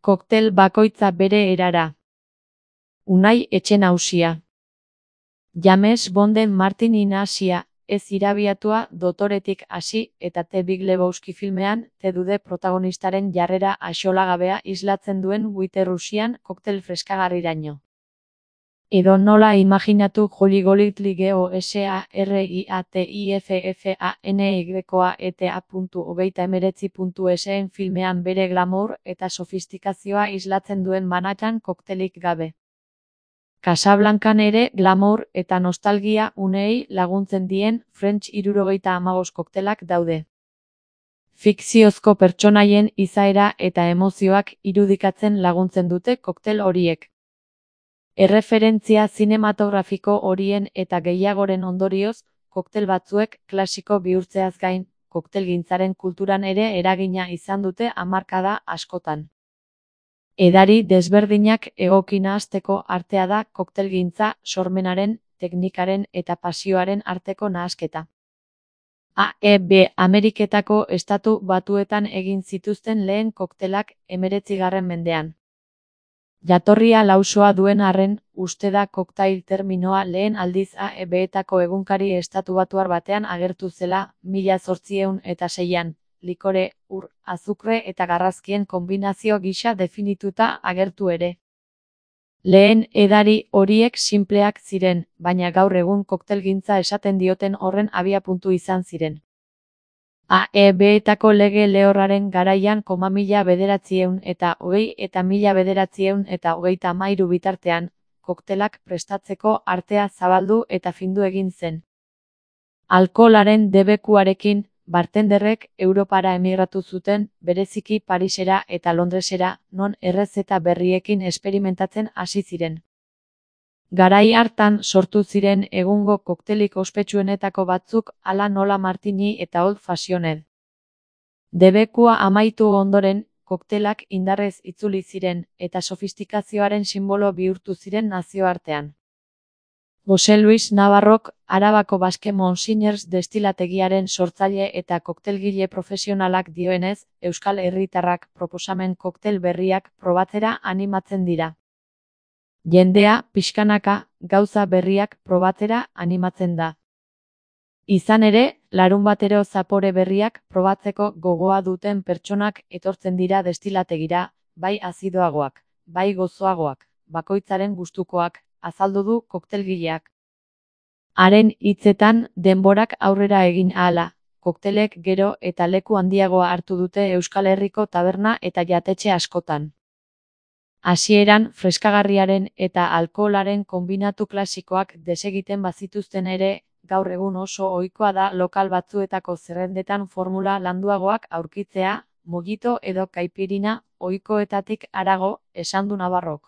Koktel bakoitza bere erara. Unai Etxenausia. James Bonden Martin Inasia, ez irabiatua dotoretik hasi eta The Big Lebowski filmean T-Dude protagonistaren jarrera axolagabea islatzen duen White-Russian koktel freskagarriraino. Edo nola imaginatu Holly Golightly GOSARIATIFFANYETA.hogeita19.sn filmean bere glamour eta sofistikazioa islatzen duen Manhattan koktelik gabe. Casablancan ere glamour eta nostalgia uneei laguntzen dien French 75 koktelak daude. Fikziozko pertsonaien izaera eta emozioak irudikatzen laguntzen dute koktel horiek. Erreferentzia zinematografiko horien eta gehiagoren ondorioz, koktel batzuek klasiko bihurtzeaz gain, koktelgintzaren kulturan ere eragina izan dute hamarkada askotan. Edari desberdinak egoki nahasteko artea da koktelgintza sormenaren, teknikaren eta pasioaren arteko nahasketa. Ameriketako Estatu Batuetan egin zituzten lehen koktelak 19. mendean. Jatorria lausoa duen arren, uste da koktail terminoa lehen aldiz AEB-etako egunkari estatubatuar batean agertu zela 1806an. Likore, ur, azukre eta garrazkien konbinazio gisa definituta agertu ere. Lehen edari horiek sinpleak ziren, baina gaur egun koktelgintza esaten dioten horren abiapuntu izan ziren. AEB-etako lege lehorraren garaian 1900 eta 1933 bitartean, koktelak prestatzeko artea zabaldu eta findu egin zen. Alkoholaren debekuarekin, bartenderrek Europara emigratu zuten, bereziki Parisera eta Londresera, non errezeta berriekin esperimentatzen hasi ziren. Garai hartan sortu ziren egungo koktelik ospetsuenetako batzuk hala nola Martini eta Old Fashioned. Debekua amaitu ondoren, koktelak indarrez itzuli ziren eta sofistikazioaren sinbolo bihurtu ziren nazioartean. Jose Luis Navarrok, Arabako Baske Monsignors destilategiaren sortzaile eta koktelgile profesionalak dioenez, euskal herritarrak proposamen koktel berriak probatzera animatzen dira. Jendea, pixkanaka, gauza berriak probatzera animatzen da. Izan ere, larunbatero zapore berriak probatzeko gogoa duten pertsonak etortzen dira destilategira, bai azidoagoak, bai gozoagoak, bakoitzaren gustukoak, azaldu du koktelgileak. Haren hitzetan, denborak aurrera egin ahala, koktelek gero eta leku handiagoa hartu dute Euskal Herriko taberna eta jatetxe askotan. Hasieran, freskagarriaren eta alkoholaren konbinatu klasikoak desegiten bazituzten ere, gaur egun oso ohikoa da lokal batzuetako zerrendetan formula landuagoak aurkitzea, mojito edo kaipirina, ohikoetatik harago, esan du Navarrok.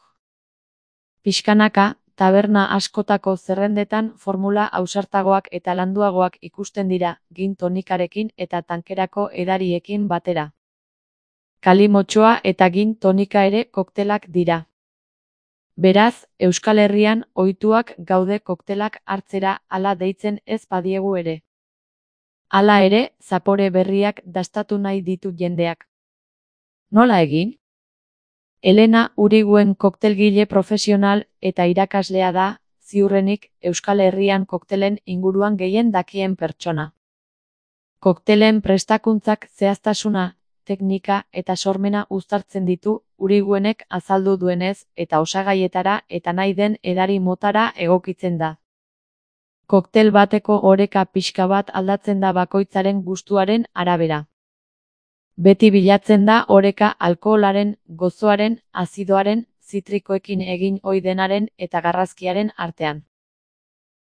Pixkanaka, taberna askotako zerrendetan formula ausartagoak eta landuagoak ikusten dira, gin tonikarekin eta tankerako edariekin batera. Kalimotxoa eta gin tonika ere koktelak dira. Beraz, Euskal Herrian ohituak gaude koktelak hartzera hala deitzen ez badiegu ere. Hala ere, zapore berriak dastatu nahi ditu jendeak. Nola egin? Elena Uriguen koktelgile profesional eta irakaslea da, ziurrenik, Euskal Herrian koktelen inguruan gehien dakien pertsona. Koktelen prestakuntzak zehaztasuna, teknika eta sormena uztartzen ditu, Uriguenek azaldu duenez, eta osagaietara eta nahi den edari motara egokitzen da. Koktel bateko oreka pixka bat aldatzen da bakoitzaren gustuaren arabera. Beti bilatzen da oreka alkoholaren, gozoaren, azidoaren, zitrikoekin egin ohi denaren eta garrazkiaren artean.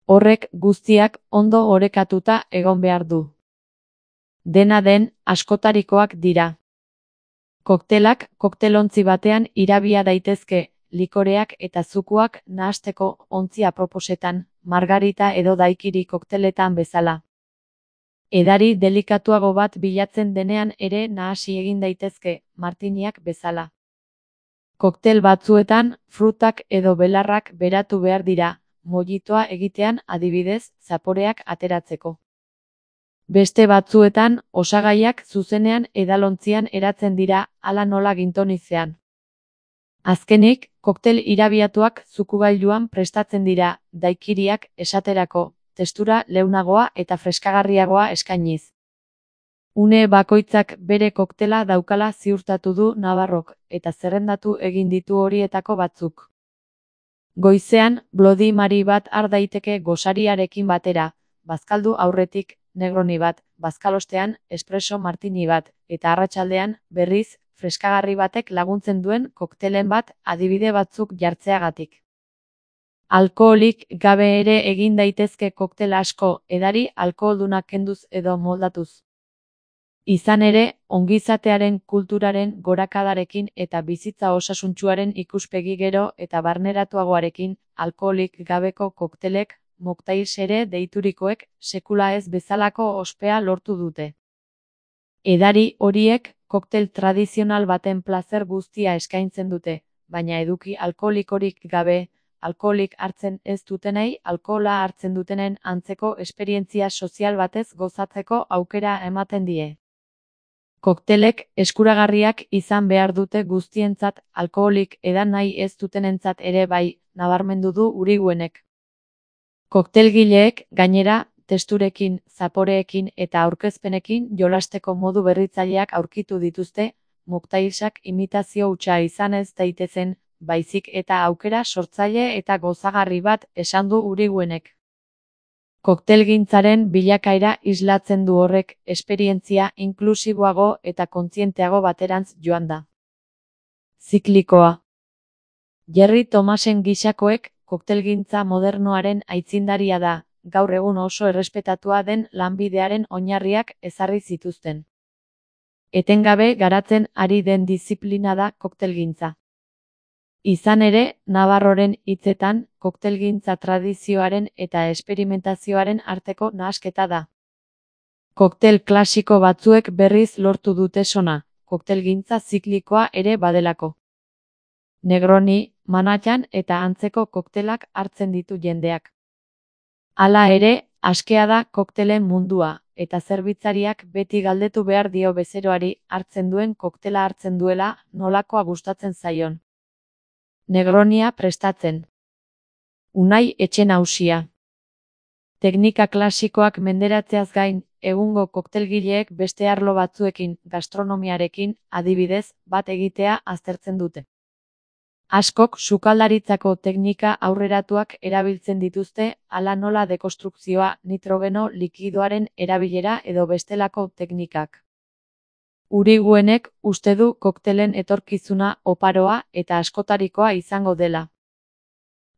Horrek guztiak ondo orekatuta egon behar du. Dena den, askotarikoak dira. Koktelak koktelontzi batean irabia daitezke, likoreak eta zukuak nahasteko ontzi aproposetan, margarita edo daikiri kokteletan bezala. Edari delikatuago bat bilatzen denean ere nahasi egin daitezke, martiniak bezala. Koktel batzuetan, frutak edo belarrak beratu behar dira, mojitoa egitean adibidez, zaporeak ateratzeko. Beste batzuetan, osagaiak zuzenean edalontzian eratzen dira, hala nola gintonizean. Azkenik, koktel irabiatuak zukugailuan prestatzen dira, daikiriak esaterako, testura leunagoa eta freskagarriagoa eskainiz. Une bakoitzak bere koktela daukala ziurtatu du Navarrok, eta zerrendatu egin ditu horietako batzuk. Goizean, Bloody Mary bat har daiteke gosariarekin batera, bazkaldu aurretik, Negroni bat, bazkalostean, espresso martini bat, eta arratsaldean, berriz, freskagarri batek laguntzen duen koktelen bat adibide batzuk jartzeagatik. Alkoholik gabe ere egin daitezke koktel asko, edari alkoholdunak kenduz edo moldatuz. Izan ere, ongizatearen kulturaren gorakadarekin eta bizitza osasuntsuaren ikuspegi gero eta barneratuagoarekin, alkoholik gabeko koktelek, mocktails ere deiturikoek, sekula ez bezalako ospea lortu dute. Edari horiek, koktel tradizional baten plazer guztia eskaintzen dute, baina eduki alkoholikorik gabe, alkoholik hartzen ez dutenei, alkohola hartzen dutenen antzeko esperientzia sozial batez gozatzeko aukera ematen die. Koktelek eskuragarriak izan behar dute guztientzat, alkoholik edan nahi ez dutenentzat ere bai, nabarmendu du Uriguenek. Koktelgileek, gainera, testurekin, zaporeekin eta aurkezpenekin jolasteko modu berritzaileak aurkitu dituzte, mocktailsak imitazio hutsa izan ez daitezen, baizik eta aukera sortzaile eta gozagarri bat esan du Uriguenek. Koktelgintzaren bilakaera islatzen du horrek, esperientzia inklusiboago eta kontzienteago baterantz joan da. Ziklikoa. Jerry Thomasen gisakoek, koktelgintza modernoaren aitzindaria da, gaur egun oso errespetatua den lanbidearen oinarriak ezarri zituzten. Etengabe garatzen ari den diziplina da koktelgintza. Izan ere, Navarroren hitzetan, koktelgintza tradizioaren eta esperimentazioaren arteko nahasketa da. Koktel klasiko batzuek berriz lortu dute sona, koktelgintza ziklikoa ere badelako. Negroni, Manhattan eta antzeko koktelak hartzen ditu jendeak. Hala ere, askea da koktelen mundua, eta zerbitzariak beti galdetu behar dio bezeroari hartzen duen koktela hartzen duela nolakoa gustatzen zaion. Negronia prestatzen. Unai Etxenausia. Teknika klasikoak menderatzeaz gain, egungo koktelgileek beste arlo batzuekin, gastronomiarekin, adibidez, bat egitea aztertzen dute. Askok sukaldaritzako teknika aurreratuak erabiltzen dituzte, hala nola dekonstrukzioa, nitrogeno likidoaren erabilera edo bestelako teknikak. Uriguenek uste du koktelen etorkizuna oparoa eta askotarikoa izango dela.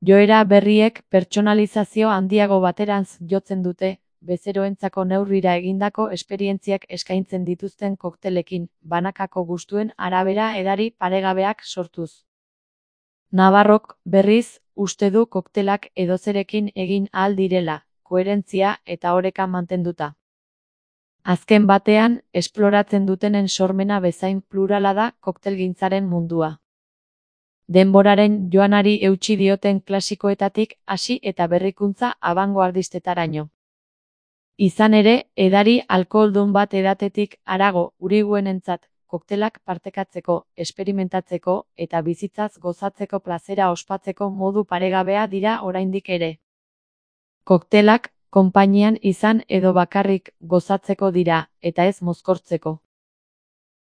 Joera berriek pertsonalizazio handiago baterantz jotzen dute, bezeroentzako neurrira egindako esperientziak eskaintzen dituzten koktelekin, banakako gustuen arabera edari paregabeak sortuz. Navarrok, berriz, uste du koktelak edozerekin egin ahal direla, koherentzia eta oreka mantenduta. Azken batean, esploratzen dutenen sormena bezain plurala da koktelgintzaren mundua. Denboraren joanari eutsi dioten klasikoetatik hasi eta berrikuntza abangoardistetaraino. Izan ere, edari alkoholdun bat edatetik harago Uriguenentzat, koktelak partekatzeko, esperimentatzeko eta bizitzaz gozatzeko plazera ospatzeko modu paregabea dira oraindik ere. Koktelak, konpainian izan edo bakarrik gozatzeko dira, eta ez mozkortzeko.